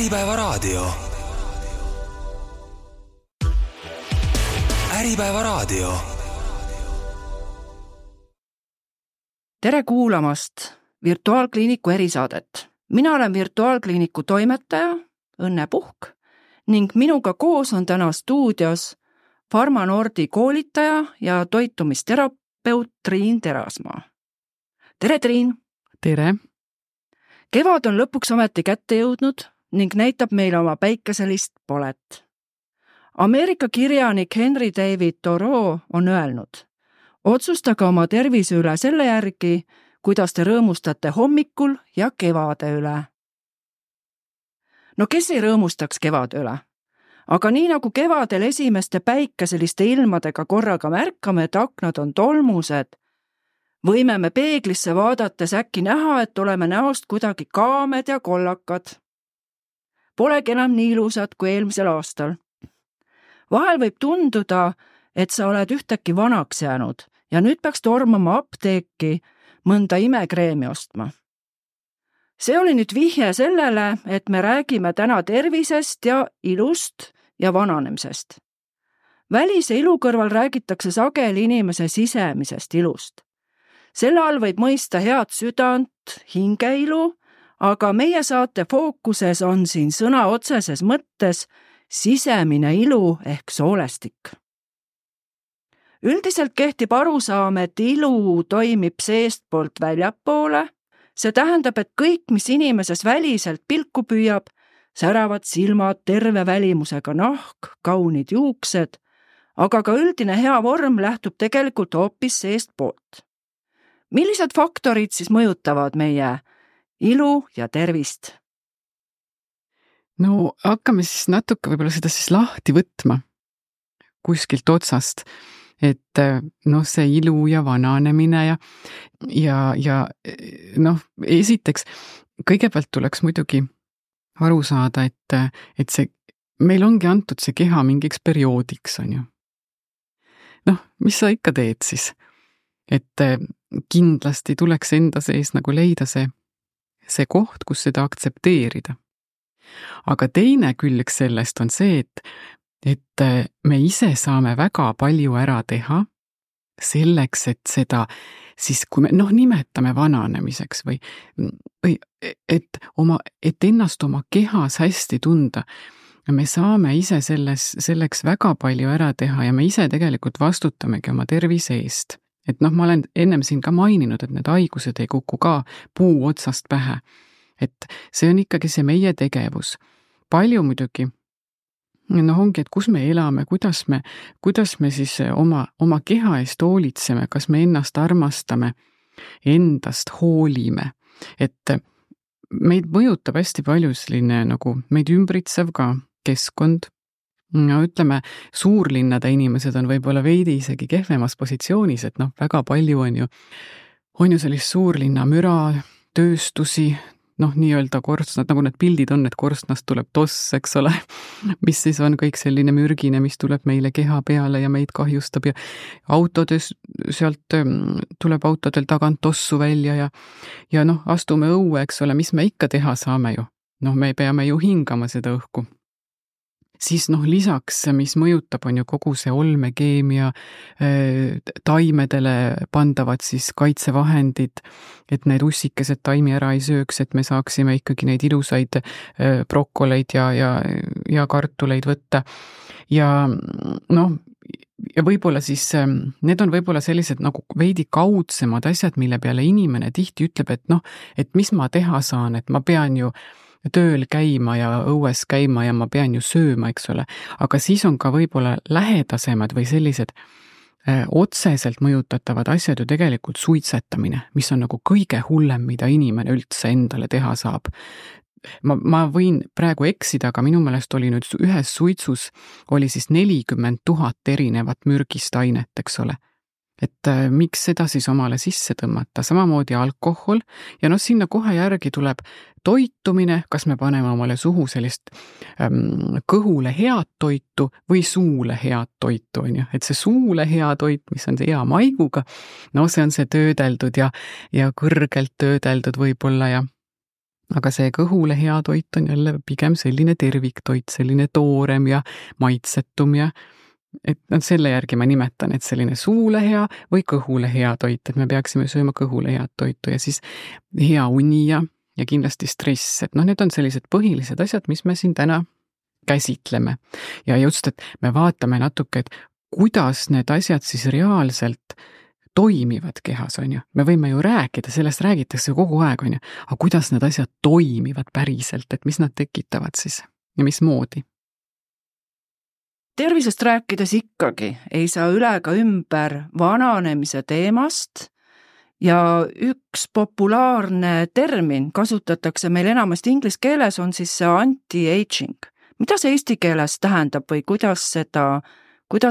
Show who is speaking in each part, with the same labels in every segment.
Speaker 1: Äripäeva raadio. Äripäeva raadio.
Speaker 2: Tere kuulamast Virtuaalkliiniku erisaadet. Mina olen Virtuaalkliiniku toimetaja Õnne Puhk ning minuga koos on täna stuudios Pharma-Nordi koolitaja ja toitumisterapeut Triin Terasmaa. Tere, Triin!
Speaker 3: Tere!
Speaker 2: Kevad on lõpuks ometi kätte jõudnud ning näitab meile oma päikeselist polet. Ameerika kirjanik Henry David Thoreau on öelnud: otsustage oma tervise üle selle järgi, kuidas te rõõmustate hommikul ja kevade üle. No kes ei rõõmustaks kevade üle? Aga nii nagu kevadel esimeste päikeseliste ilmadega korraga märkame, et aknad on tolmused, võime me peeglisse vaadates äkki näha, et oleme näost kuidagi kaamed ja kollakad. Polegi enam nii ilusad kui eelmisel aastal. Vahel võib tunduda, et sa oled ühtäkki vanaks jäänud ja nüüd peaks tormama apteeki mõnda imekreemi ostma. See oli nüüd vihje sellele, et me räägime täna tervisest ja ilust ja vananemisest. Välise ilu kõrval räägitakse sageli inimese sisemisest ilust. Selle all võib mõista head südant, hingeilu, aga meie saate fookuses on siin sõna otseses mõttes sisemine ilu ehk soolestik. Üldiselt kehtib arusaam, et ilu toimib seestpoolt väljapoole. See tähendab, et kõik, mis inimeses väliselt pilku püüab, säravad silmad, terve välimusega nahk, kaunid juuksed, aga ka üldine hea vorm lähtub tegelikult hoopis seestpoolt. Millised faktorid siis mõjutavad meie ilu ja tervist?
Speaker 3: No hakkame siis natuke võib-olla seda siis lahti võtma kuskilt otsast, et see ilu ja vananemine ja esiteks kõigepealt tuleks muidugi aru saada, et meil ongi antud see keha mingiks perioodiks, on ju. Mis sa ikka teed siis? Et kindlasti tuleks enda sees nagu leida see koht, kus seda aktsepteerida. Aga teine külg sellest on see, et me ise saame väga palju ära teha selleks, et seda siis, kui me nimetame vananemiseks või et ennast oma kehas hästi tunda, me saame ise selleks väga palju ära teha ja me ise tegelikult vastutamegi oma tervise eest. Et ma olen ennem siin ka maininud, et need haigused ei kuku ka puu otsast pähe. Et see on ikkagi see meie tegevus. Palju muidugi, ongi, et kus me elame, kuidas me siis oma keha eest hoolitseme, kas me ennast armastame, endast hoolime. Et meid mõjutab hästi palju selline nagu meid ümbritsev ka keskkond. Ütleme, suurlinnade inimesed on võib-olla veidi isegi kehvemas positsioonis, et väga palju on ju sellist suurlinna müra, tööstusi, nii-öelda korstnad, nagu need pildid on, et korstnast tuleb toss, eks ole, mis siis on kõik selline mürgine, mis tuleb meile keha peale ja meid kahjustab ja autodes sealt tuleb autodel tagant tossu välja ja astume õue, eks ole, mis me ikka teha saame ju. Me peame ju hingama seda õhku. Siis lisaks, mis mõjutab, on ju kogu see olmekeemia, taimedele pandavad siis kaitsevahendid, et need ussikesed taimi ära ei sööks, et me saaksime ikkagi neid ilusaid brokoleid ja kartuleid võtta. Ja võib-olla siis, need on võib-olla sellised nagu veidi kaudsemad asjad, mille peale inimene tihti ütleb, et mis ma teha saan, et ma pean ju tööl käima ja õues käima ja ma pean ju sööma, eks ole. Aga siis on ka võib-olla lähedasemad või sellised otseselt mõjutatavad asjad ju tegelikult suitsetamine, mis on nagu kõige hullem, mida inimene üldse endale teha saab. Ma võin praegu eksida, aga minu meelest oli nüüd ühes suitsus oli siis 40 000 erinevat mürgist ainet, eks ole. Et miks seda siis omale sisse tõmmata, samamoodi alkohol ja sinna kohe järgi tuleb toitumine, kas me paneme omale suhu sellist kõhule head toitu või suule head toitu, on ju, et see suule hea toit, mis on see hea maiguga, see on see töödeldud ja kõrgelt töödeldud võib-olla aga see kõhule hea toit on jälle pigem selline terviktoit, selline toorem ja maitsetum ja et selle järgi ma nimetan, et selline suule hea või kõhule hea toit, et me peaksime sööma kõhule head toitu ja siis hea uni ja kindlasti stress, et need on sellised põhilised asjad, mis me siin täna käsitleme. Ja just, et me vaatame natuke, et kuidas need asjad siis reaalselt toimivad kehas, on ju. Me võime ju rääkida, sellest räägitakse kogu aeg, on ju, aga kuidas need asjad toimivad päriselt, et mis nad tekitavad siis ja mismoodi?
Speaker 2: Tervisest rääkides ikkagi ei saa üle ka ümber vananemise teemast ja üks populaarne termin kasutatakse meil enamasti inglise keeles on siis see anti-aging. Mida see eesti keeles tähendab või kuidas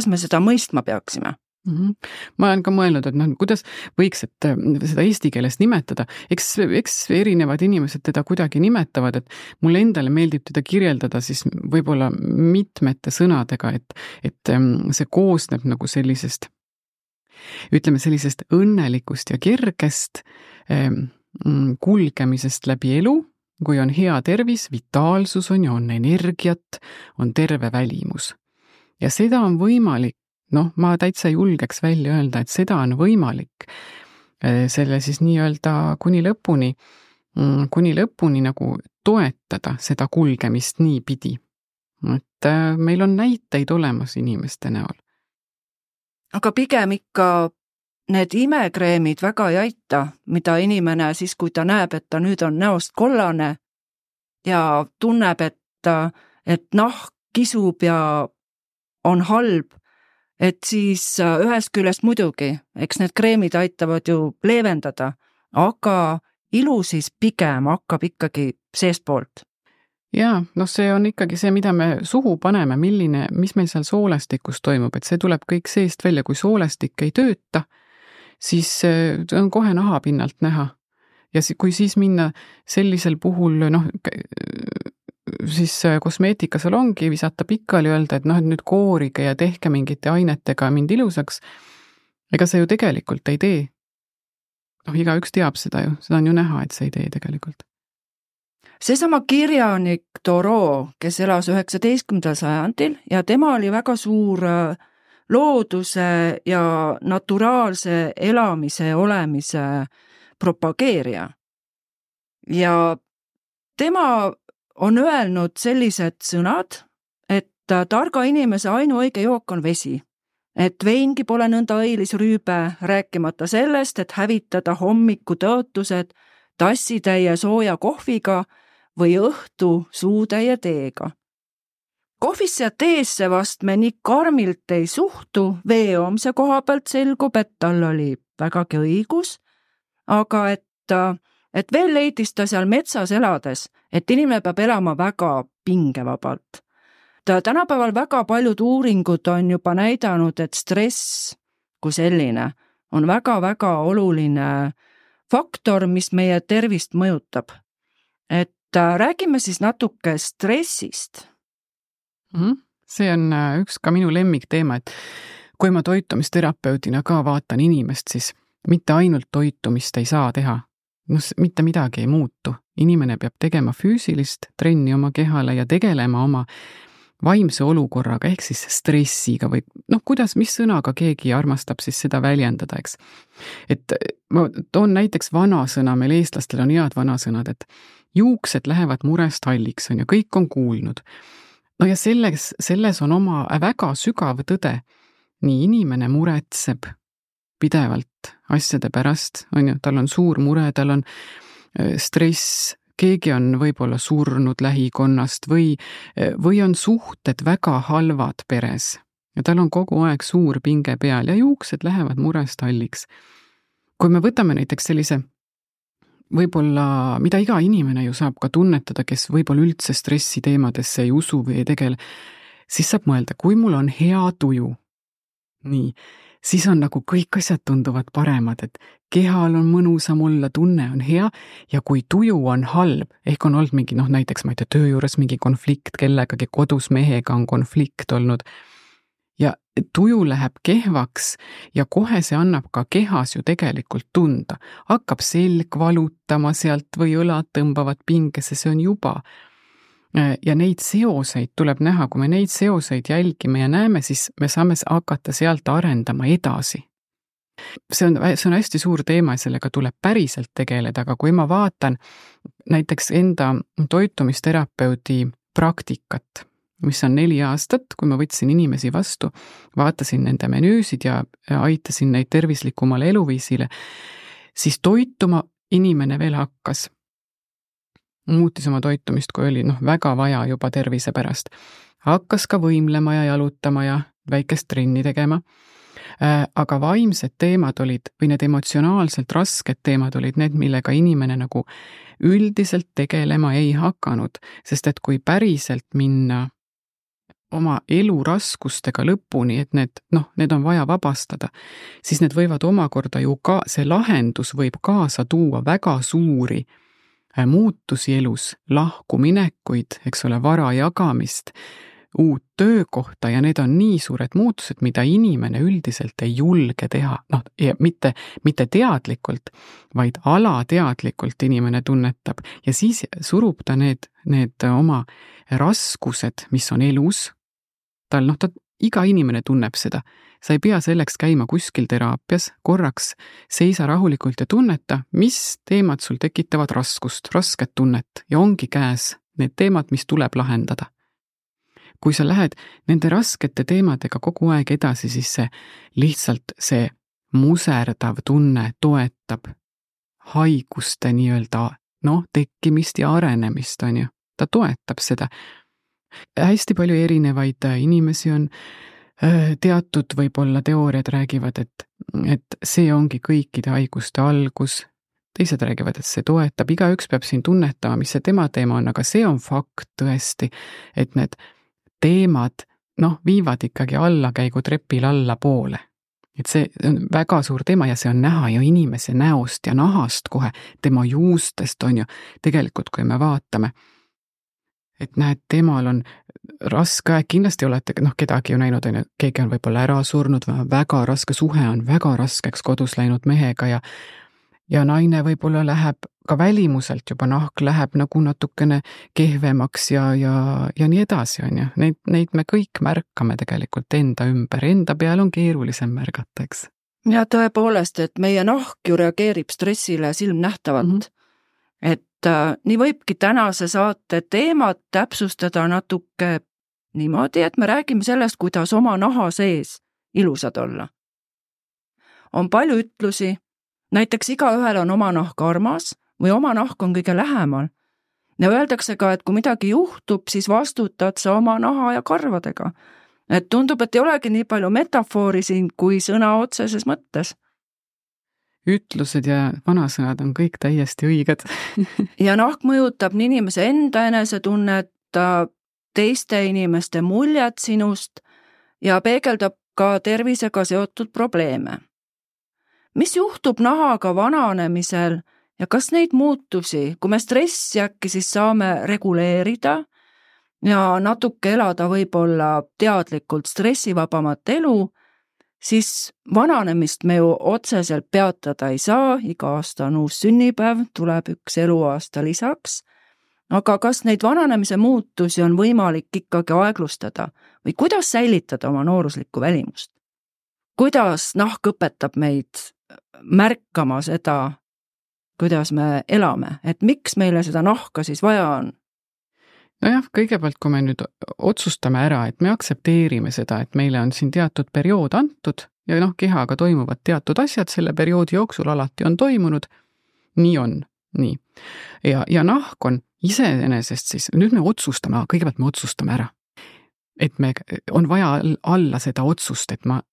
Speaker 2: me seda mõistma peaksime?
Speaker 3: Ma olen ka mõelnud, et kuidas võiks seda eesti keeles nimetada. Eks erinevad inimesed teda kuidagi nimetavad, et mulle endale meeldib teda kirjeldada siis võib-olla mitmete sõnadega, et see koosneb nagu sellisest, ütleme sellisest õnnelikust ja kergest kulgemisest läbi elu, kui on hea tervis, vitaalsus on energiat, on terve välimus. Ja seda on võimalik, ma täitsa julgeks välja öelda, et seda on võimalik selle siis nii-öelda kuni lõpuni nagu toetada seda kulgemist nii pidi. Et meil on näiteid olemas inimeste näol.
Speaker 2: Aga pigem ikka need imekreemid väga ei aita, mida inimene siis, kui ta näeb, et ta nüüd on näost kollane ja tunneb, et nahk kisub ja on halb, et siis ühest küljest muidugi, eks need kreemid aitavad ju leevendada, aga ilu siis pigem hakkab ikkagi seestpoolt.
Speaker 3: Jaa, see on ikkagi see, mida me suhu paneme, mis meil seal soolestikus toimub, et see tuleb kõik seest välja, kui soolestik ei tööta, siis on kohe nahapinnalt näha. Ja kui siis minna sellisel puhul, siis kosmeetikasalongi visata pikali öelda, et nüüd koorige ja tehke mingite ainetega mind ilusaks. Ega see ju tegelikult ei tee. Igaüks teab seda ju, seda on ju näha, et see ei tee tegelikult.
Speaker 2: Seesama kirjanik Thoreau, kes elas 19. sajandil ja tema oli väga suur looduse ja naturaalse elamise ja olemise propageerija. Ja tema on öelnud sellised sõnad, et targa inimese ainuõige jook on vesi, et veingi pole nõnda õilis rüübe, rääkimata sellest, et hävitada hommiku tõotused tassitäie sooja kohviga või õhtu suutäie teega. Kohvisse ja teesse vast me nii karmilt ei suhtu, veeoomse koha pealt selgub, et tal oli vägagi õigus, aga et veel leidis ta seal metsas elades, et inimene peab elama väga pingevabalt. Tänapäeval väga paljud uuringud on juba näidanud, et stress kui selline on väga-väga oluline faktor, mis meie tervist mõjutab. Et räägime siis natuke stressist.
Speaker 3: See on üks ka minu lemmikteema, et kui ma toitumisterapeudina ka vaatan inimest, siis mitte ainult toitumist ei saa teha. Mitte midagi ei muutu. Inimene peab tegema füüsilist trenni oma kehale ja tegelema oma vaimse olukorraga, ehk siis stressiga või mis sõnaga keegi armastab siis seda väljendada, eks. Et ma toon näiteks vanasõna, meil eestlastel on head vanasõnad, et juuksed lähevad murest halliks, on ju, kõik on kuulnud. Ja selles on oma väga sügav tõde. Nii inimene muretseb pidevalt asjade pärast, on ju, tal on suur mure, tal on stress, keegi on võib-olla surnud lähikonnast või on suhted väga halvad peres ja tal on kogu aeg suur pinge peal ja juuksed lähevad murest halliks. Kui me võtame näiteks sellise võib-olla, mida iga inimene ju saab ka tunnetada, kes võib-olla üldse stressi teemadesse ei usu või ei tegele, siis saab mõelda, kui mul on hea tuju, nii, siis on nagu kõik asjad tunduvad paremad, et kehal on mõnusam olla, tunne on hea ja kui tuju on halb, ehk on olnud mingi, näiteks ma ei tea, töö juures mingi konflikt kellegagi, kodus mehega on konflikt olnud ja tuju läheb kehvaks ja kohe see annab ka kehas ju tegelikult tunda. Hakkab selg valutama sealt või õlad tõmbavad pingesse, see on juba. Ja neid seoseid tuleb näha, kui me neid seoseid jälgime ja näeme, siis me saame hakata sealt arendama edasi. See on hästi suur teema ja sellega tuleb päriselt tegeleda, aga kui ma vaatan näiteks enda toitumisterapeudi praktikat, mis on 4 aastat, kui ma võtsin inimesi vastu, vaatasin nende menüüsid ja aitasin neid tervislikumale eluviisile, siis toituma inimene veel hakkas. Muutis oma toitumist, kui oli väga vaja juba tervise pärast. Hakkas ka võimlema ja jalutama ja väikest trenni tegema. Aga vaimsed teemad olid, või need emotsionaalselt rasked teemad olid need, millega inimene nagu üldiselt tegelema ei hakanud, sest et kui päriselt minna oma elu raskustega lõpuni, et need on vaja vabastada, siis need võivad omakorda ju ka, see lahendus võib kaasa tuua väga suuri muutusi elus, lahkuminekuid, eks ole, vara jagamist, uut töökohta ja need on nii suured muutused, mida inimene üldiselt ei julge teha, ja mitte teadlikult, vaid alateadlikult inimene tunnetab ja siis surub ta need oma raskused, mis on elus, iga inimene tunneb seda, sa ei pea selleks käima kuskil teraapias, korraks seisa rahulikult ja tunneta, mis teemad sul tekitavad raskust, rasket tunnet ja ongi käes need teemad, mis tuleb lahendada. Kui sa lähed nende raskete teemadega kogu aeg edasi, siis see muserdav tunne toetab haiguste tekkimist ja arenemist, on ju. Ta toetab seda. Hästi palju erinevaid inimesi on, teatud võib-olla teooriad räägivad, et see ongi kõikide haiguste algus, teised räägivad, et see toetab, igaüks peab siin tunnetama, mis see tema teema on, aga see on fakt tõesti, et need teemad, viivad ikkagi allakäigu trepil alla poole. Et see on väga suur teema ja see on näha ju inimese näost ja nahast kohe, tema juustest on ju, tegelikult kui me vaatame, et näed, temal on raske aeg, kindlasti olete kedagi ju näinud, keegi on võib-olla ära surnud või väga raske suhe on väga raskeks kodus läinud mehega ja naine võib-olla läheb ka välimuselt juba nahk läheb nagu natukene kehvemaks ja nii edasi, on ju. Neid me kõik märkame tegelikult enda ümber, enda peal on keerulisem märgata, eks.
Speaker 2: Ja tõepoolest, et meie nahk ju reageerib stressile silmnähtavalt. Et nii võibki tänase saate teemat täpsustada natuke niimoodi, et me räägime sellest, kuidas oma naha sees ilusad olla. On palju ütlusi, näiteks igaühel on oma nahk armas või oma nahk on kõige lähemal. Ja öeldakse ka, et kui midagi juhtub, siis vastutad sa oma naha ja karvadega. Et tundub, et ei olegi nii palju metafoori siin kui sõna otseses mõttes.
Speaker 3: Ütlused ja vanasõnad on kõik täiesti õiged.
Speaker 2: Ja nahk mõjutab nii inimese enda enesetunnet, teiste inimeste muljet sinust ja peegeldab ka tervisega seotud probleeme. Mis juhtub nahaga vananemisel ja kas neid muutusi, kui me stressi äkki siis saame reguleerida ja natuke elada võib-olla teadlikult stressivabamat elu, siis vananemist me ju otseselt peatada ei saa, iga aasta on uus sünnipäev, tuleb üks eluaasta lisaks, aga kas neid vananemise muutusi on võimalik ikkagi aeglustada või kuidas säilitada oma nooruslikku välimust? Kuidas nahk õpetab meid märkama seda, kuidas me elame, et miks meile seda nahka siis vaja on?
Speaker 3: Nojah, kõigepealt, kui me nüüd otsustame ära, et me aktsepteerime seda, et meile on siin teatud periood antud ja kehaga toimuvad teatud asjad selle perioodi jooksul alati on toimunud, nii on, nii. Ja nahk on iseenesest siis, nüüd me otsustame, kõigepealt me otsustame ära, et me on vaja alla seda otsust, et ma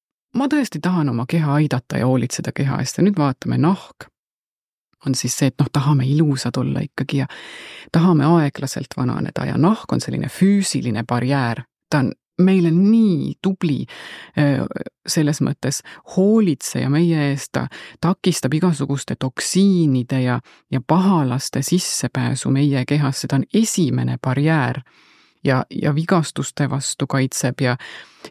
Speaker 3: tõesti tahan oma keha aidata ja hoolitseda keha eest ja nüüd vaatame nahk. On siis see, et tahame ilusad olla ikkagi ja tahame aeglaselt vananeda ja nahk on selline füüsiline barjäär. Ta on meile nii tubli selles mõttes hoolitseja meie eest, ta takistab igasuguste toksiinide ja pahalaste sissepääsu meie kehasse, ta on esimene barjäär. ja vigastuste vastu kaitseb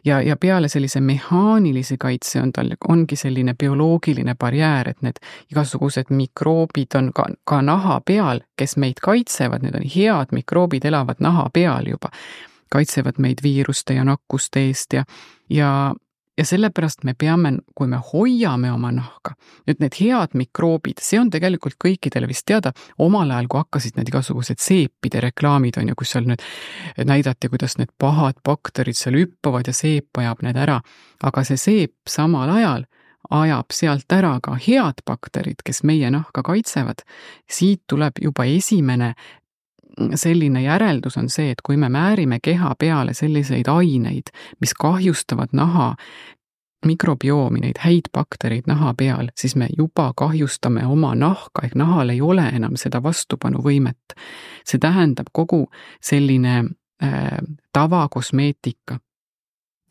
Speaker 3: ja peale sellise mehaanilise kaitse ongi selline bioloogiline barjäär, et need igasugused mikroobid on ka naha peal, kes meid kaitsevad, need on head mikroobid, elavad naha peal juba, kaitsevad meid viiruste ja nakkuste eest ja sellepärast me peame, kui me hoiame oma nahka, nüüd need head mikroobid, see on tegelikult kõikidele vist teada, omal ajal, kui hakkasid need igasugused seepide reklaamid on ja kus seal nüüd näidati, kuidas need pahad bakterid seal hüppavad ja seep ajab need ära, aga see seep samal ajal ajab sealt ära ka head bakterid, kes meie nahka kaitsevad. Siit tuleb juba esimene selline järeldus on see, et kui me määrime keha peale selliseid aineid, mis kahjustavad naha mikrobiomi, neid häid baktereid naha peal, siis me juba kahjustame oma nahka, ehk nahal ei ole enam seda vastupanuvõimet. See tähendab kogu selline tavakosmeetika,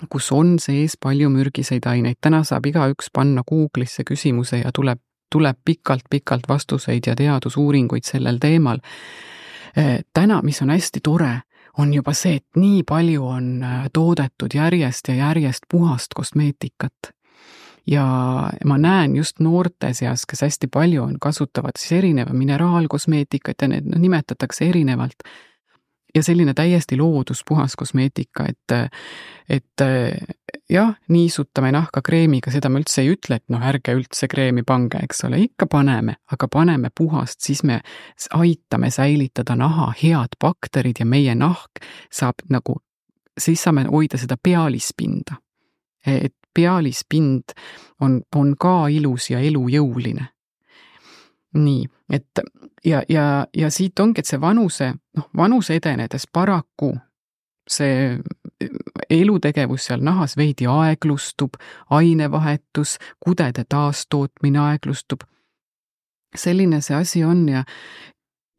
Speaker 3: kus on sees palju mürgiseid aineid. Täna saab igaüks panna Google'isse küsimuse ja tuleb pikalt vastuseid ja teadusuuringuid sellel teemal. Täna, mis on hästi tore, on juba see, et nii palju on toodetud järjest ja järjest puhast kosmeetikat. Ja ma näen just noorte seas, kes hästi palju on, kasutavad siis erineva mineraalkosmeetikat ja need nimetatakse erinevalt. Ja selline täiesti looduspuhas kosmeetika, et jah, niisutame nahka kreemiga, seda ma üldse ei ütle, et ärge üldse kreemi pange, eks ole, ikka paneme, aga paneme puhast, siis me aitame säilitada naha head bakterid ja meie nahk saab siis saame hoida seda pealispinda. Et pealispind on ka ilus ja elujõuline. Nii, et ja siit ongi, et see vanuse edenedes paraku see elutegevus seal nahas veidi aeglustub, ainevahetus, kudede taastootmine aeglustub. Selline see asi on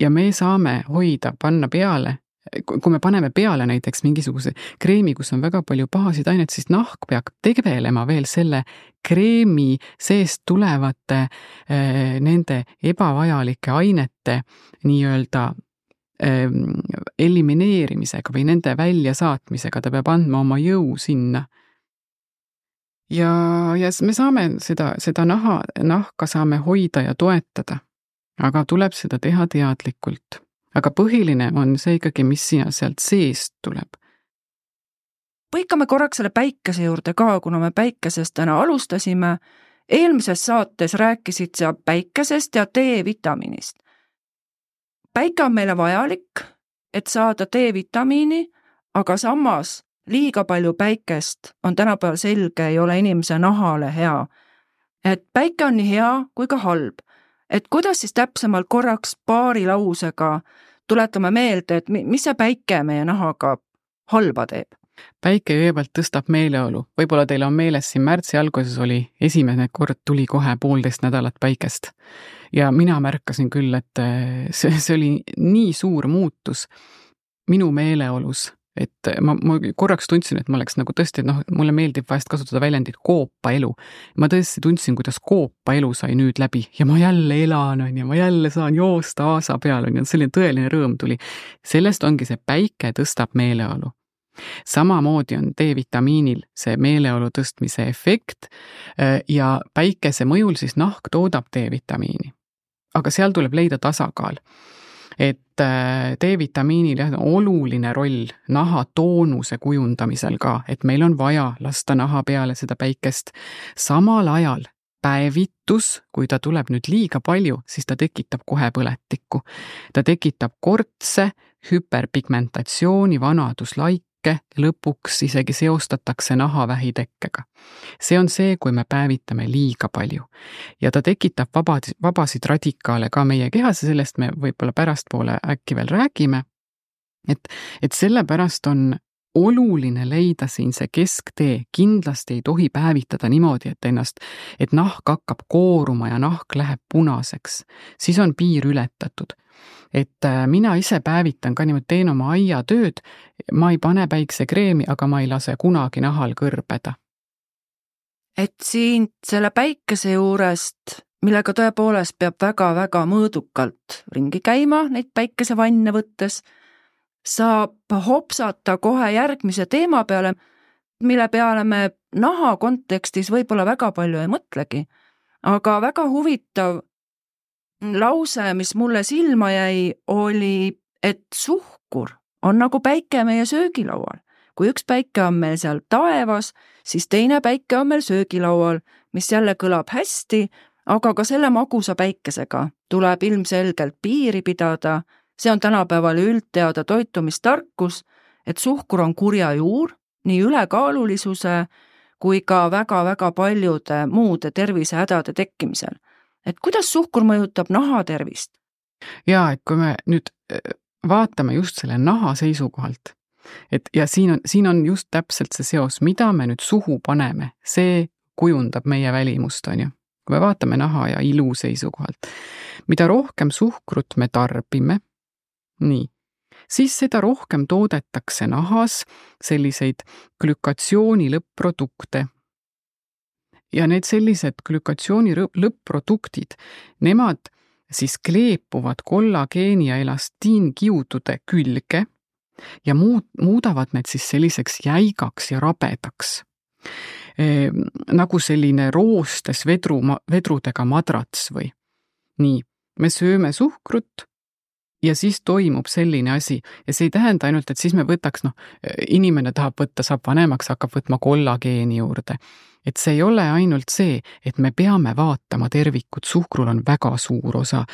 Speaker 3: ja me saame hoida, panna peale, kui me paneme peale näiteks mingisuguse kreemi, kus on väga palju pahasid aineid, siis nahk peab tegelema veel selle kreemi seest tulevate nende ebavajalike ainete nii-öelda elimineerimisega või nende väljasaatmisega, ta peab andma oma jõu sinna. Ja me saame seda nahka saame hoida ja toetada, aga tuleb seda teha teadlikult. Aga põhiline on see ikkagi, mis sealt seest tuleb.
Speaker 2: Põikame korraks selle päikese juurde ka, kuna me päikesest täna alustasime. Eelmises saates rääkisid sa päikesest ja D-vitamiinist. Päike on meile vajalik, et saada D-vitamiini, aga samas liiga palju päikest on tänapäeval selge, ei ole inimese nahale hea. Et päike on nii hea kui ka halb. Et kuidas siis täpsemalt korraks paari lausega tuletame meelde, et mis see päike meie nahaga halba teeb?
Speaker 3: Päike kõigepealt tõstab meeleolu. Võib-olla teil on meeles, siin märtsi alguses oli esimene kord tuli kohe 1,5 nädalat päikest. Ja mina märkasin küll, et see oli nii suur muutus minu meeleolus, et ma korraks tundsin, et ma oleks tõesti, mulle meeldib vahest kasutada väljendit koopa elu. Ma tõesti tundsin, kuidas koopa elu sai nüüd läbi ja ma jälle elan ja ma jälle saan joosta aasa peal ja selline tõeline rõõm tuli. Sellest ongi see päike tõstab meeleolu. Samamoodi on D-vitamiinil see meeleolu tõstmise efekt ja päikese mõjul siis nahk toodab D-vitamiini. Aga seal tuleb leida tasakaal. Et D-vitamiinil on oluline roll naha toonuse kujundamisel ka, et meil on vaja lasta naha peale seda päikest. Samal ajal päevitus, kui ta tuleb nüüd liiga palju, siis ta tekitab kohe põletikku. Ta tekitab kortse, hüperpigmentatsiooni, vanaduslaike, lõpuks isegi seostatakse nahavähitekkega. See on see, kui me päevitame liiga palju. Ja ta tekitab vabasid radikaale ka meie kehas ja sellest me võib-olla pärastpoole äkki veel räägime. Et sellepärast on oluline leida siin see kesktee. Kindlasti ei tohi päevitada niimoodi, et nahk hakkab kooruma ja nahk läheb punaseks. Siis on piir ületatud. Et mina ise päevitan ka niimoodi, teen oma aiatööd, ma ei pane päiksekreemi, aga ma ei lase kunagi nahal kõrbeda.
Speaker 2: Et siin selle päikese juurest, millega tõepoolest peab väga-väga mõõdukalt ringi käima, neid päikesevanne võttes, saab hopsata kohe järgmise teema peale, mille peale me naha kontekstis võib-olla väga palju ei mõtlegi. Aga väga huvitav lause, mis mulle silma jäi, oli, et suhkur on nagu päike meie söögilaual. Kui üks päike on meil seal taevas, siis teine päike on meil söögilaual, mis jälle kõlab hästi, aga ka selle magusa päikesega tuleb ilmselgelt piiri pidada. See on tänapäeval üldteada toitumistarkus, et suhkur on kurja juur, nii ülekaalulisuse kui ka väga-väga paljude muude tervisehädade tekkimisel. Et kuidas suhkur mõjutab naha tervist?
Speaker 3: Ja, et kui me nüüd vaatame just selle naha seisukohalt, ja siin on just täpselt see seos, mida me nüüd suhu paneme, see kujundab meie välimust, on ju. Kui me vaatame naha ja ilu seisukohalt, mida rohkem suhkrut me tarbime, nii, siis seda rohkem toodetakse nahas selliseid glükatsiooni lõpp-produkte. Ja need sellised glükatsiooni lõpp-produktid, nemad siis kleepuvad kollageeni ja elastiinkiudude külge ja muudavad need siis selliseks jäigaks ja rabedaks. Nagu selline roostes vedrudega madrats või. Nii, me sööme suhkrut ja siis toimub selline asi. Ja see ei tähenda ainult, et siis me võtaks, inimene tahab võtta, saab vanemaks, hakkab võtma kollageeni juurde. Et see ei ole ainult see, et me peame vaatama tervikut, suhkrul on väga suur osa.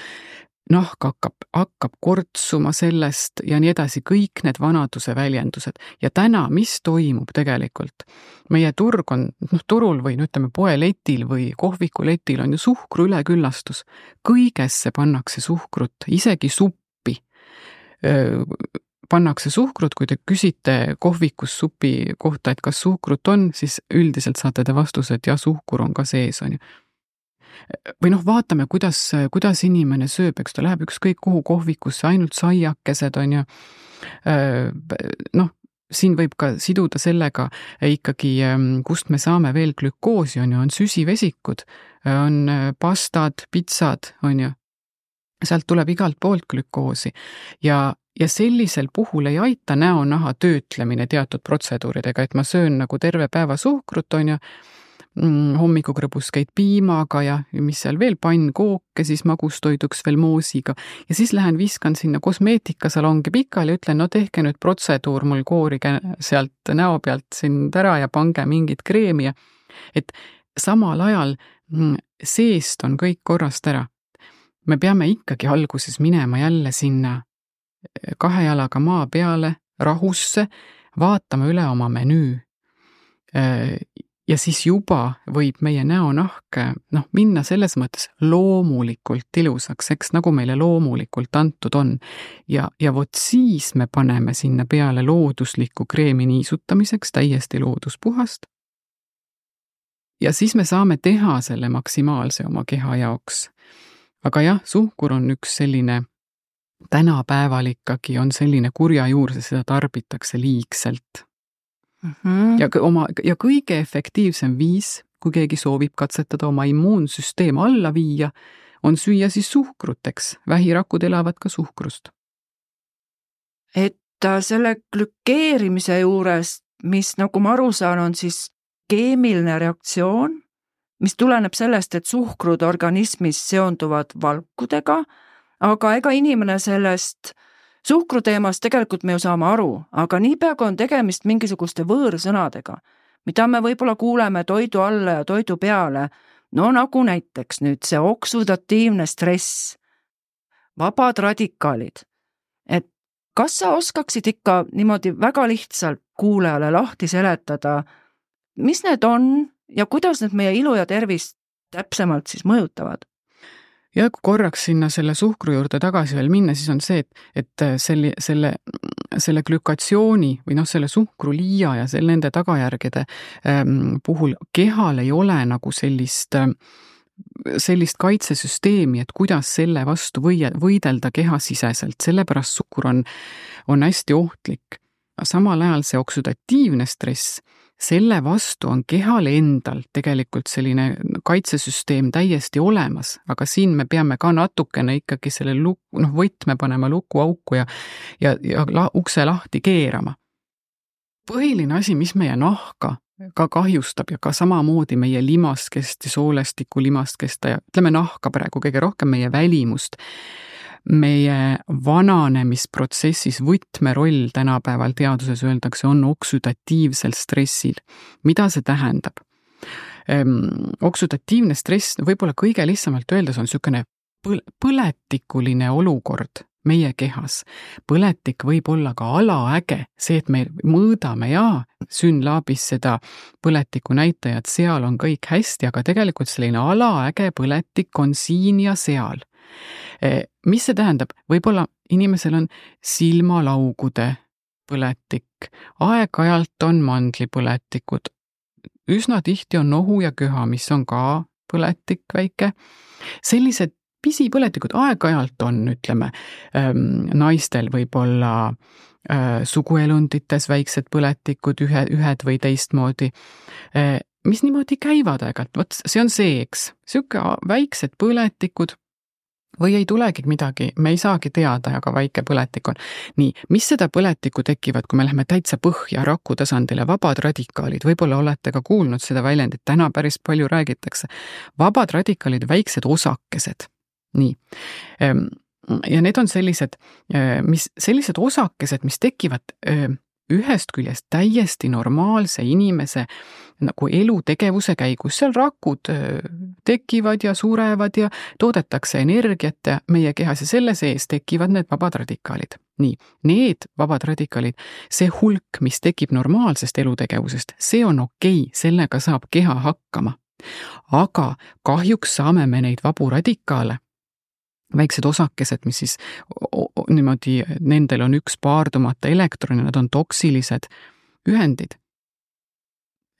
Speaker 3: Nahk hakkab kortsuma sellest ja nii edasi, kõik need vanaduse väljendused. Ja täna, mis toimub tegelikult? Meie turg on, turul või ütleme poeletil või kohvikuletil on ju suhkru üleküllastus. Kõigesse pannakse suhkrut, isegi suppi pannakse suhkrut, kui te küsite kohvikus supi kohta, et kas suhkrut on, siis üldiselt saate te vastuse, et jah, suhkur on ka sees, on ju. Või vaatame, kuidas inimene sööb, eks ta läheb ükskõik kuhu kohvikusse, ainult saiakesed on ju. Siin võib ka siduda sellega ikkagi, kust me saame veel glükoosi, on ju, on süsivesikud, on pastad, pitsad, on ju. Sealt tuleb igalt poolt glükoosi ja sellisel puhul ei aita näonaha töötlemine teatud protseduuridega, et ma söön nagu terve päeva suhkrut, on ju, hommikukrõbuskeid piimaga ja mis seal veel, pannkooke, siis magustoiduks veel moosiga ja siis lähen viskan sinna kosmeetikasalongi pikali ja ütlen, tehke nüüd protseduur, mul koorige sealt näo pealt sind ära ja pange mingit kreemi ja et samal ajal seest on kõik korrast ära. Me peame ikkagi alguses minema jälle sinna 2 jalaga maa peale, rahusse, vaatama üle oma menüü. Ja siis juba võib meie näonahk minna selles mõttes loomulikult ilusaks, eks nagu meile loomulikult antud on. Ja vot siis me paneme sinna peale looduslikku kreemi niisutamiseks, täiesti looduspuhast. Ja siis me saame teha selle maksimaalse oma keha jaoks. Aga jah, suhkur on üks selline, tänapäeval ikkagi on selline kurja juur, seda tarbitakse liigselt. Ja kõige efektiivsem viis, kui keegi soovib katsetada oma immuunsüsteem alla viia, on süüa siis suhkruteks. Vähirakud elavad ka suhkrust.
Speaker 2: Et selle glükeerimise juures, mis nagu ma aru saan, on siis keemiline reaktsioon, mis tuleneb sellest, et suhkrud organismis seonduvad valkudega, aga ega inimene sellest suhkruteemast tegelikult me ju saame aru, aga niipea kui on tegemist mingisuguste võõrsõnadega, mida me võib-olla kuuleme toidu alla ja toidu peale, nagu näiteks nüüd see oksudatiivne stress, vabad radikaalid, et kas sa oskaksid ikka niimoodi väga lihtsalt kuulajale lahti seletada, mis need on ja kuidas need meie ilu ja tervist täpsemalt siis mõjutavad?
Speaker 3: Ja kui korraks sinna selle suhkru juurde tagasi veel minna, siis on see, et selle glükatsiooni või selle suhkru liia ja nende tagajärgede puhul kehal ei ole nagu sellist kaitsesüsteemi, et kuidas selle vastu võidelda kehasiseselt, sellepärast suhkur on hästi ohtlik. Samal ajal see oksudatiivne stress, selle vastu on kehal endal tegelikult selline kaitsesüsteem täiesti olemas, aga siin me peame ka natukene ikkagi selle võtme panema lukuauku ja ukse lahti keerama. Põhiline asi, mis meie nahka ka kahjustab ja ka samamoodi meie limaskest ja soolestiku limaskest ja ütleme nahka praegu kõige rohkem meie välimust, meie vananemisprotsessis võtmeroll tänapäeval teaduses öeldakse on oksüdatiivsel stressil. Mida see tähendab? Oksüdatiivne stress, võib-olla kõige lihtsamalt öeldes on niisugune põletikuline olukord meie kehas. Põletik võib olla ka alaäge, see, et me mõõdame SYNLABis seda põletiku näitajat, seal on kõik hästi, aga tegelikult selline alaäge põletik on siin ja seal. Mis see tähendab? Võib-olla inimesel on silmalaugude põletik, aeg-ajalt on mandlipõletikud, üsna tihti on nohu ja köha, mis on ka põletik väike. Sellised pisipõletikud aeg-ajalt on, ütleme, naistel võib-olla suguelundites väiksed põletikud, ühed või teistmoodi, mis niimoodi käivad aeg-ajalt, vot see on see, eks, siuke väiksed põletikud või ei tulegi midagi, me ei saagi teada, aga väike põletik on. Nii, mis seda põletikku tekivad, kui me läheme täitsa põhja raku tasandile, vabad radikaalid, võib-olla olete ka kuulnud seda väljendit, täna päris palju räägitakse. Vabad radikaalid, väiksed osakesed. Nii. Ja need on sellised osakesed, mis tekivad ühest küljest täiesti normaalse inimese nagu elutegevuse käigus. Seal rakud tekivad ja surevad ja toodetakse energiat ja meie kehas ja selle sees tekivad need vabad radikaalid. Nii, need vabad radikaalid, see hulk, mis tekib normaalsest elutegevusest, see on okei, sellega saab keha hakkama. Aga kahjuks saame me neid vabu radikaale, väiksed osakesed, mis siis niimoodi, nendel on üks paardumata elektron ja nad on toksilised ühendid.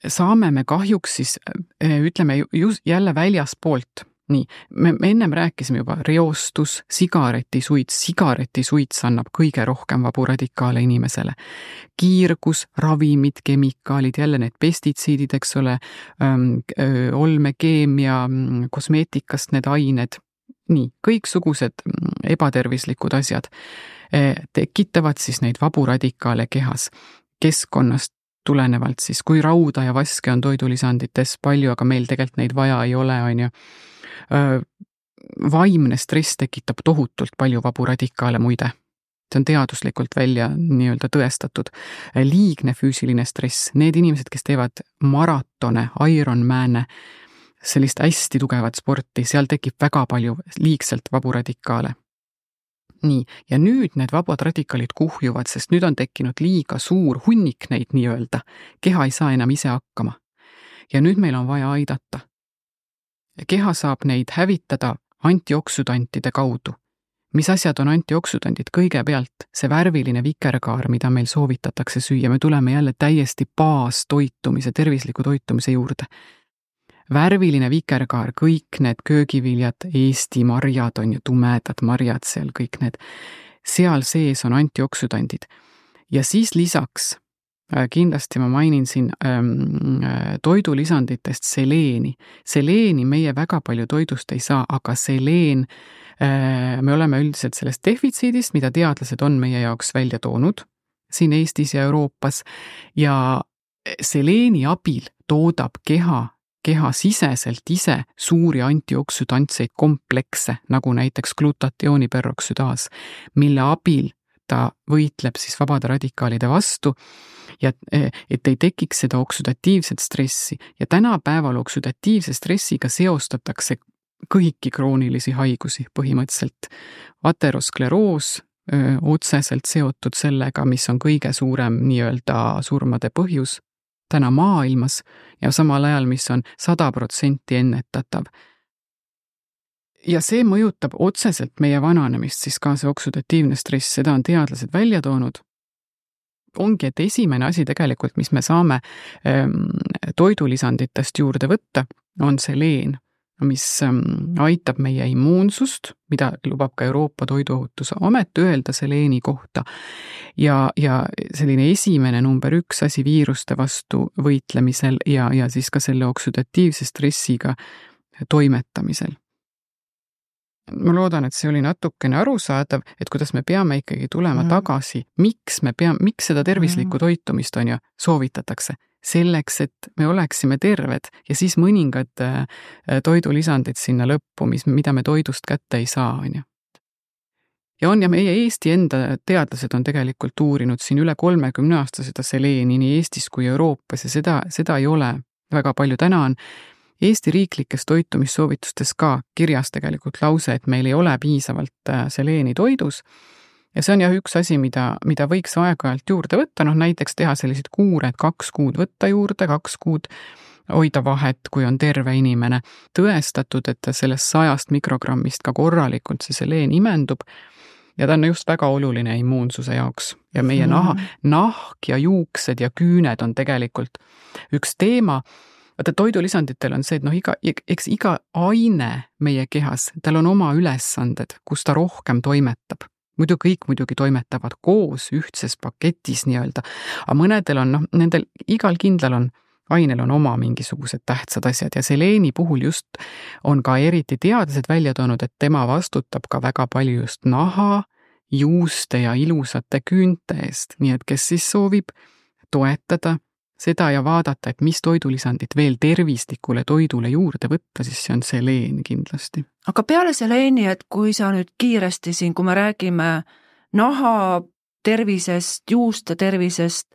Speaker 3: Saame me kahjuks siis, ütleme jälle väljaspoolt. Nii, me ennem rääkisime juba reostus, sigaretisuits annab kõige rohkem vabu radikaale inimesele. Kiirgus, ravimid, kemikaalid, jälle need pestitsiidid, eks ole, olmekeemia, kosmeetikast need ained. Nii, kõiksugused ebatervislikud asjad tekitavad siis neid vabu radikaale kehas. Keskkonnast tulenevalt siis, kui rauda ja vaske on toidulisandites palju, aga meil tegelikult neid vaja ei ole, on ju. Vaimne stress tekitab tohutult palju vabu radikaale muide. See on teaduslikult välja nii-öelda tõestatud. Liigne füüsiline stress, need inimesed, kes teevad maratone, Ironmane, sellist hästi tugevat sporti, seal tekib väga palju liigselt vabu radikaale. Nii, ja nüüd need vabad radikaalid kuhjuvad, sest nüüd on tekkinud liiga suur hunnik neid nii-öelda. Keha ei saa enam ise hakkama. Ja nüüd meil on vaja aidata. Keha saab neid hävitada antioksüdantide kaudu. Mis asjad on antioksüdandid? Kõigepealt see värviline vikerkaar, mida meil soovitatakse süüa, me tuleme jälle täiesti baastoitumise, tervisliku toitumise juurde. Värviline vikerkaar, kõik need köögiviljad, Eesti marjad on ju tumedad marjad seal, kõik need, seal sees on antioksüdandid. Ja siis lisaks, kindlasti ma mainin siin toidulisanditest seleeni. Seleeni meie väga palju toidust ei saa, aga seleen, me oleme üldiselt sellest defitsiidist, mida teadlased on meie jaoks välja toonud siin Eestis ja Euroopas ja seleeni abil toodab keha siseselt ise suuri antioksüdantseid komplekse, nagu näiteks glutatiooniperoksüdaas, mille abil ta võitleb siis vabade radikaalide vastu ja et ei tekiks seda oksüdatiivset stressi. Ja tänapäeval oksüdatiivse stressiga seostatakse kõiki kroonilisi haigusi põhimõtteliselt. Ateroskleroos otseselt seotud sellega, mis on kõige suurem nii-öelda surmade põhjus täna maailmas ja samal ajal, mis on 100% ennetatav. Ja see mõjutab otseselt meie vananemist, siis ka see oksüdatiivne stress, seda on teadlased välja toonud. Ongi, et esimene asi tegelikult, mis me saame toidulisanditest juurde võtta, on seleen. mis aitab meie immuunsust, mida lubab ka Euroopa Toiduohutuse Amet öelda seleeni kohta, ja selline esimene number 1 asi viiruste vastu võitlemisel ja siis ka selle oksüdatiivse stressiga toimetamisel. Ma loodan, et see oli natukene arusaadav, et kuidas me peame ikkagi tulema tagasi, miks seda tervislikku toitumist on ju soovitatakse. Selleks, et me oleksime terved ja siis mõningad toidulisandid sinna lõppu, mida me toidust kätte ei saa, on ju. Ja meie Eesti enda teadlased on tegelikult uurinud siin üle 30 aasta seda seleeni nii Eestis kui Euroopas ja seda ei ole väga palju. Täna on Eesti riiklikes toitumissoovitustes ka kirjas tegelikult lause, et meil ei ole piisavalt seleeni toidus. Ja see on üks asi, mida võiks aeg-ajalt juurde võtta, näiteks teha sellised kuured 2 kuud võtta juurde, 2 kuud hoida vahet, kui on terve inimene. Tõestatud, et sellest 100 mikrogrammist ka korralikult see seleen imendub ja ta on just väga oluline immuunsuse jaoks. Ja meie nahk ja juuksed ja küüned on tegelikult üks teema. Vaata, toidulisanditel on see, et iga aine meie kehas, tal on oma ülesanded, kus ta rohkem toimetab. Kõik muidugi toimetavad koos ühtses paketis nii-öelda, aga mõnedel on, nendel igal kindlal ainel on oma mingisugused tähtsad asjad ja seleeni puhul just on ka eriti teadlased välja toonud, et tema vastutab ka väga palju just naha, juuste ja ilusate küünte eest, nii et kes siis soovib toetada seda ja vaadata, et mis toidulisandid veel tervislikule toidule juurde võtta, siis see on seleen kindlasti.
Speaker 2: Aga peale seleeni, et kui sa nüüd kiiresti siin, kui me räägime naha tervisest, juuste tervisest,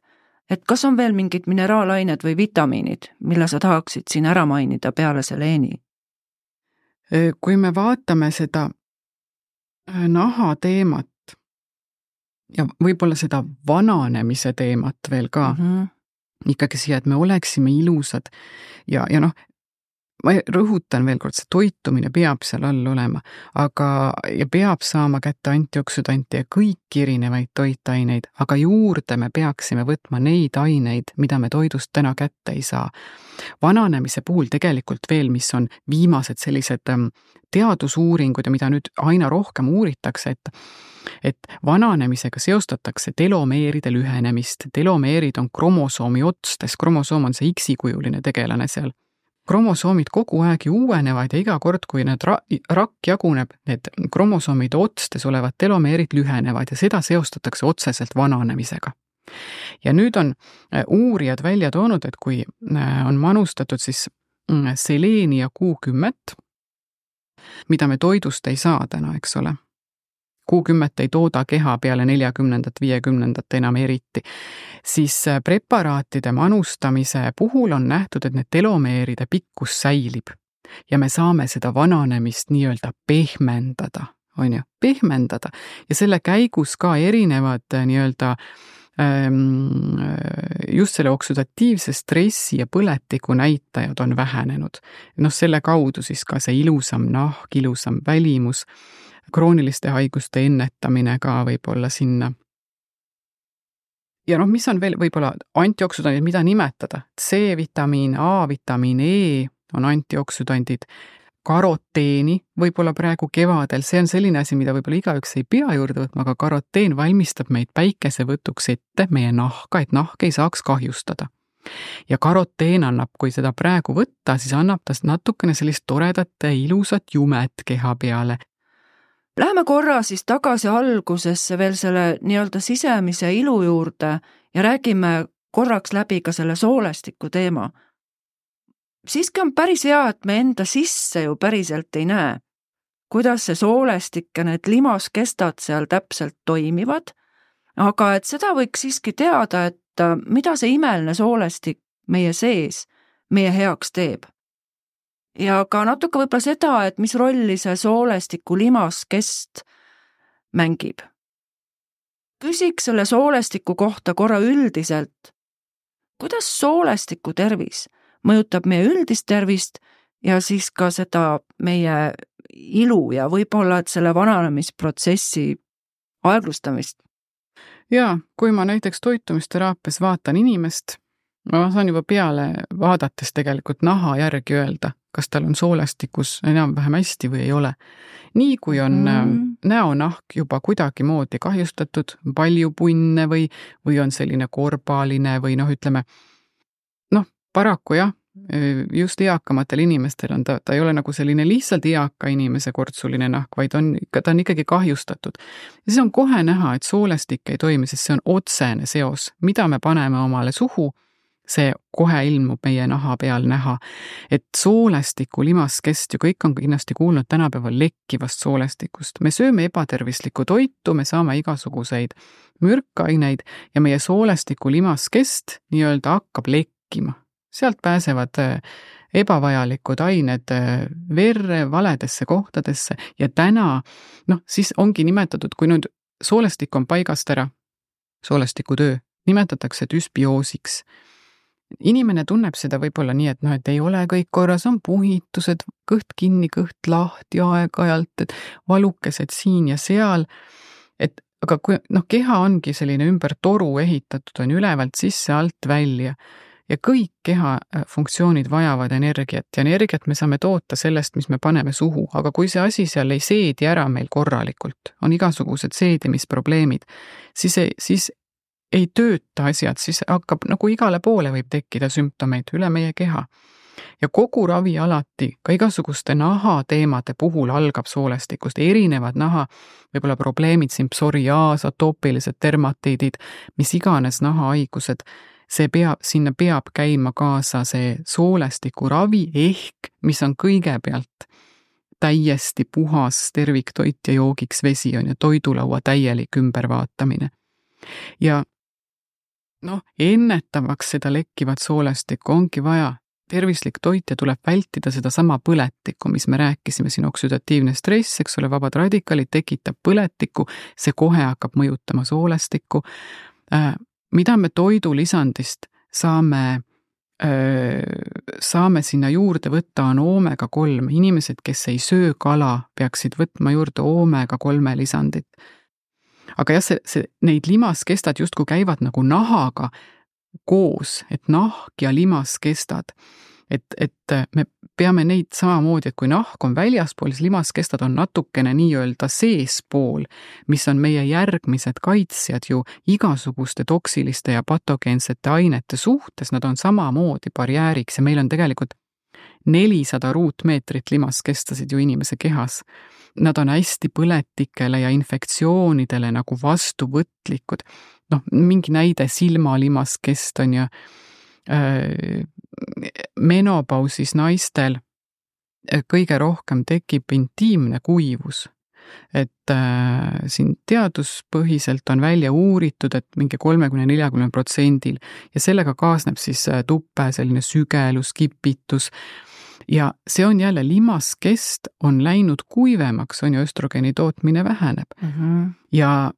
Speaker 2: et kas on veel mingid mineraalained või vitamiinid, mille sa tahaksid siin ära mainida peale seleeni?
Speaker 3: Kui me vaatame seda naha teemat ja võib-olla seda vananemise teemat veel ka, ikkagi siia, et me oleksime ilusad ja ma rõhutan veel kord, see toitumine peab seal all olema, ja peab saama kätte antioksüdante ja kõiki erinevaid toitaineid, aga juurde me peaksime võtma neid aineid, mida me toidust täna kätte ei saa. Vananemise puhul tegelikult veel, mis on viimased sellised teadusuuringud ja mida nüüd aina rohkem uuritakse, et vananemisega seostatakse telomeeride lühenemist. Telomeerid on kromosoomi otstes, kromosoom on see X-kujuline tegelane seal. Kromosoomid kogu aeg uuenevad ja iga kord, kui need rakk jaguneb, need kromosoomide otstes olevad telomeerid lühenevad ja seda seostatakse otseselt vananemisega. Ja nüüd on uurijad välja toonud, et kui on manustatud siis seleeni ja Q10, mida me toidust ei saa täna, eks ole. Q10 ei tooda keha peale 40. 50. enam eriti, siis preparaatide manustamise puhul on nähtud, et need telomeeride pikkus säilib ja me saame seda vananemist nii-öelda pehmendada, pehmendada ja selle käigus ka erinevad nii-öelda just selle oksüdatiivse stressi ja põletiku näitajad on vähenenud. Selle kaudu siis ka see ilusam nahk, ilusam välimus, krooniliste haiguste ennetamine ka võib-olla sinna. Ja mis on veel võib-olla antioksüdandid, mida nimetada? C-vitamiin, A-vitamiin, E on antioksüdandid, karoteeni võib-olla praegu kevadel, see on selline asi, mida võib-olla igaüks ei pea juurde võtma, aga karoteen valmistab meid päikesevõtuks ette meie nahka, et nahk ei saaks kahjustada. Ja karoteen annab, kui seda praegu võtta, siis annab ta natukene sellist toredat ja ilusat jumet keha peale.
Speaker 2: Läheme korra siis tagasi algusesse veel selle nii-öelda sisemise ilu juurde ja räägime korraks läbi ka selle soolestiku teema. Siiski on päris hea, et me enda sisse ju päriselt ei näe, kuidas see soolestik ja need limaskestad seal täpselt toimivad, aga et seda võiks siiski teada, et mida see imeline soolestik meie sees meie heaks teeb. Ja ka natuke võib-olla seda, et mis rolli see soolestiku limaskest mängib. Küsiks selle soolestiku kohta korra üldiselt, kuidas soolestiku tervis mõjutab meie üldist tervist ja siis ka seda meie ilu ja võib-olla et selle vananemisprotsessi aeglustamist?
Speaker 3: Ja, kui ma näiteks toitumisteraapias vaatan inimest ma saan juba peale vaadates tegelikult naha järgi öelda, kas tal on soolestikus enam-vähem hästi või ei ole. Nii kui on näonahk juba kuidagi moodi kahjustatud, palju punne või on selline korbaline või ütleme, paraku jah, just eakamatel inimestel on ta ei ole nagu selline lihtsalt eaka inimese kortsuline nahk, vaid ta on ikkagi kahjustatud. Ja siis on kohe näha, et soolestik ei toimi, sest see on otsene seos, mida me paneme omale suhu, see kohe ilmub meie naha peal näha, et soolestiku limaskest ju kõik on kindlasti kuulnud tänapäeval lekkivast soolestikust. Me sööme ebatervislikku toitu, me saame igasuguseid mürkaineid ja meie soolestiku limaskest nii-öelda hakkab lekkima. Sealt pääsevad ebavajalikud ained verre, valedesse kohtadesse ja täna, siis ongi nimetatud, kui nüüd soolestik on paigast ära, soolestiku töö, nimetatakse düsbioosiks. Inimene tunneb seda võib-olla nii, et ei ole kõik korras, on puhitused, kõht kinni, kõht lahti aeg-ajalt, et valukesed siin ja seal, aga kui keha ongi selline ümber toru ehitatud, on ülevalt sisse, alt välja ja kõik keha funktsioonid vajavad energiat ja energiat me saame toota sellest, mis me paneme suhu, aga kui see asi seal ei seedi ära meil korralikult, on igasugused seedimisprobleemid, siis ei tööta asjad, siis hakkab igale poole võib tekkida sümptomeid üle meie keha. Ja kogu ravi alati, ka igasuguste nahateemade puhul algab soolestikust, erinevad naha, võib-olla probleemid, siin psoriaas, atoopilised dermatiidid, mis iganes nahahaigused, sinna peab käima kaasa see soolestiku ravi ehk, mis on kõigepealt täiesti puhas terviktoit ja joogiks vesi on ja toidulaua täielik ümbervaatamine. Ja ennetavaks seda lekkivat soolestikku ongi vaja tervislik toit ja tuleb vältida seda sama põletikku, mis me rääkisime siin, oksüdatiivne stress, eks ole, vabad radikaalid tekitab põletikku, see kohe hakkab mõjutama soolestikku. Mida me toidulisandist saame sinna juurde võtta, on omega-3. Inimesed, kes ei söö kala, peaksid võtma juurde omega-3 lisandit. Aga jah, neid limaskestad justkui käivad nagu nahaga koos, et nahk ja limaskestad. Et me peame neid samamoodi, et kui nahk on väljaspool, siis limaskestad on natukene nii-öelda seespool, mis on meie järgmised kaitsjad ju igasuguste toksiliste ja patogeensete ainete suhtes, nad on samamoodi barjääriks ja meil on tegelikult 400 ruutmeetrit limaskestasid ju inimese kehas. Nad on hästi põletikele ja infektsioonidele nagu vastuvõtlikud. Mingi näide silmalimaskest on ja menopausis naistel kõige rohkem tekib intiimne kuivus. Et siin teaduspõhiselt on välja uuritud, et mingi 30-40% ja sellega kaasneb siis tuppe, selline sügelus, kipitus. Ja see on jälle limaskest on läinud kuivemaks, on ju östrogeeni tootmine väheneb. Ja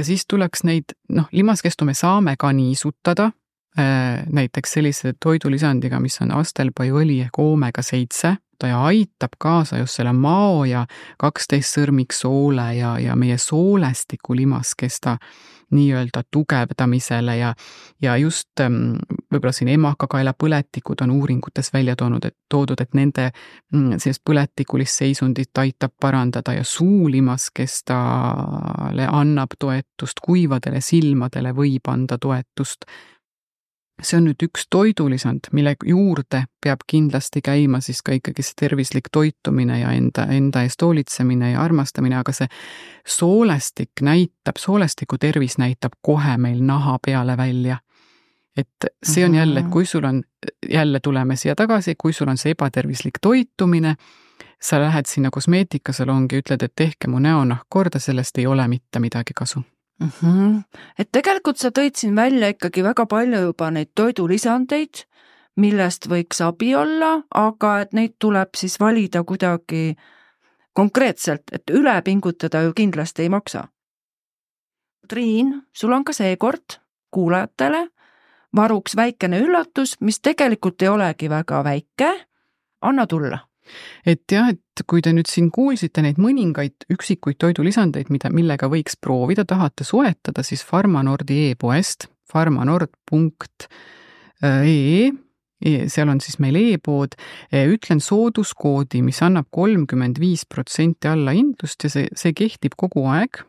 Speaker 3: siis tuleks neid, limaskestu me saame ka niisutada, näiteks sellise toidulisandiga, mis on astelpaiõli ehk omega-7, ta aitab kaasa just selle mao ja 12 sõrmiksoole ja meie soolestiku limaskesta nii-öelda tugevdamisele ja just võib-olla siin emakakaela põletikud on uuringutes välja toodud, et nende sellist põletikulist seisundit aitab parandada ja suulimaskestale annab toetust, kuivadele silmadele võib anda toetust. See on nüüd üks toidulisand, mille juurde peab kindlasti käima siis ka ikkagi see tervislik toitumine ja enda eest hoolitsemine ja armastamine, aga see soolestiku tervis näitab kohe meil naha peale välja. Et see on jälle, et kui sul on, jälle tuleme siia tagasi, kui sul on see ebatervislik toitumine, sa lähed sinna kosmeetikasalongi ja ütled, et tehke mu näonahk korda, sellest ei ole mitte midagi kasu.
Speaker 2: Et tegelikult sa tõid siin välja ikkagi väga palju juba neid toidulisandeid, millest võiks abi olla, aga et neid tuleb siis valida kuidagi konkreetselt, et üle pingutada ju kindlasti ei maksa. Triin, sul on ka seekord kuulajatele varuks väikene üllatus, mis tegelikult ei olegi väga väike. Anna tulla.
Speaker 3: Et jah, et kui te nüüd siin kuulsite neid mõningaid üksikuid toidulisandeid, millega võiks proovida, tahate soetada, siis Pharmanordi e-poest, pharmanord.ee seal on siis meil e-pood, ütlen sooduskoodi, mis annab 35% allahindlust ja see kehtib kogu aeg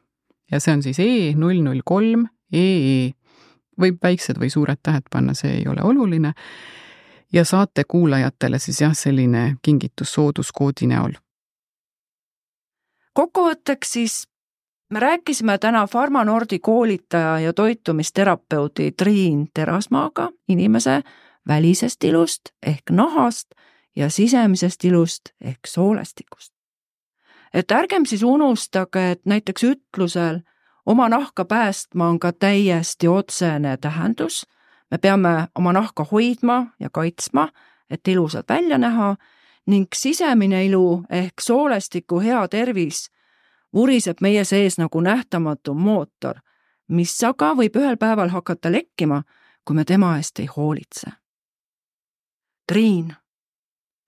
Speaker 3: ja see on siis E003 EE. Võib väiksed või suured tähed panna, see ei ole oluline. Ja saate kuulajatele siis selline kingitus sooduskoodi näol.
Speaker 2: Kokkuvõtteks siis me rääkisime täna Pharmanordi koolitaja ja toitumisterapeudi Triin Terasmaaga inimese välisest ilust ehk nahast ja sisemisest ilust ehk soolestikust. Et ärgem siis unustage, et näiteks ütlusel oma nahka päästma on ka täiesti otsene tähendus. Me peame oma nahka hoidma ja kaitsma, et ilusalt välja näha ning sisemine ilu ehk soolestiku hea tervis vuriseb meie sees nagu nähtamatu mootor, mis aga võib ühel päeval hakata lekkima, kui me tema eest ei hoolitse. Triin,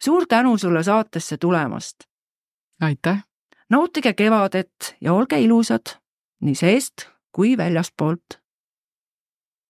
Speaker 2: suur tänu sulle saatesse tulemast.
Speaker 3: Aitäh!
Speaker 2: Nautige kevadet ja olge ilusad nii seest kui väljaspoolt.